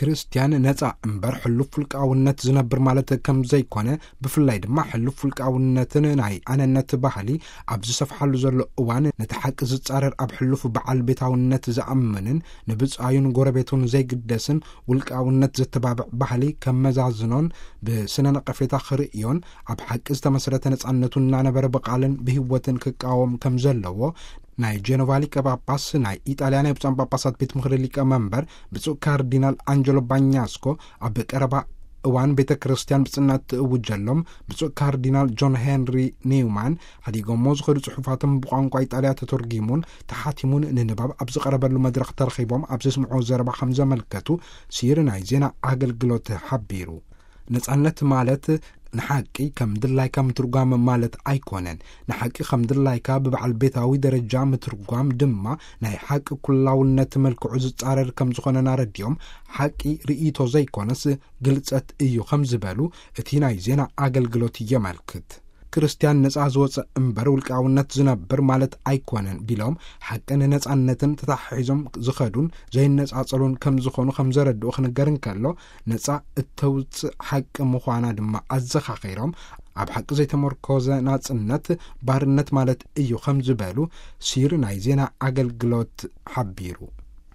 ክርስትያን ነጻ እምበር ሕሉፍ ውልቃውነት ዝነብር ማለት ከም ዘይኮነ፣ ብፍላይ ድማ ሕሉፍ ውልቃውነትን ናይ ኣነነት ባህሊ ኣብ ዝሰፍሓሉ ዘሎ እዋን፣ ነቲ ሓቂ ዝጻረር፣ ኣብ ሕሉፍ በዓል ቤታውነት ዝኣምንን ንብጻዩን ጎረቤቱን ዘይግደስን ውልቃውነት ዘተባብዕ ባህሊ ከመዛዝኖን ብስነ ነቐፌታ ክርእዮን፣ ኣብ ሓቂ ዝተመስረተ ነጻነቱ እናነበረ ብቓልን ብህይወትን ክቃወም ከም ዘለዎ ናይ ጀኖቫ ሊቀ ጳጳስ፣ ናይ ኢጣልያ ናይ ብፁዓን ጳጳሳት ቤት ምኽሪ ሊቀ መንበር ብፁዕ ካርዲናል ኣንጀሎ ባኛስኮ፣ ኣብ ቀረባ እዋን ቤተ ክርስቲያን ብጽናት ትእውጀሎም ብፁዕ ካርዲናል ጆን ሄንሪ ኒውማን ሓዲጎሞ ዝኸዱ ጽሑፋቶም ብቋንቋ ኢጣልያ ተተርጊሙን ተሓቲሙን ንንባብ ኣብ ዝቐረበሉ መድረኽ ተረኺቦም ኣብ ዘስምዑ ዘረባ ከም ዘመልከቱ ሲር ናይ ዜና ኣገልግሎት ሓቢሩ። ነጻነት ማለት ንሓቂ ከም ድላይካ ምትርጓም ማለት ኣይኮነን። ንሓቂ ከም ድላይካ ብበዓል ቤታዊ ደረጃ ምትርጓም ድማ ናይ ሓቂ ኩላውነት መልክዑ ዝጻረር ከም ዝኾነን ኣረዲኦም፣ ሓቂ ርእይቶ ዘይኮነስ ግልጸት እዩ ከም ዝበሉ እቲ ናይ ዜና ኣገልግሎት የመልክት። ክርስትያን ነጻ ዝወጸ እምበር ውልቃውነት ዝነብር ማለት ኣይኮነን ቢሎም፣ ሓቅን ነጻነትን ተታሒዞም ዝኸዱን ዘይነጻጸሉን ከም ዝኾኑ ከም ዘረድኡ ክንገር እንከሎ፣ ነጻ እተውጽእ ሓቂ ምዃና ድማ ኣዘኻኺሮም፣ ኣብ ሓቂ ዘይተመርኮዘ ናጽነት ባርነት ማለት እዩ ከም ዝበሉ ሲር ናይ ዜና ኣገልግሎት ሓቢሩ።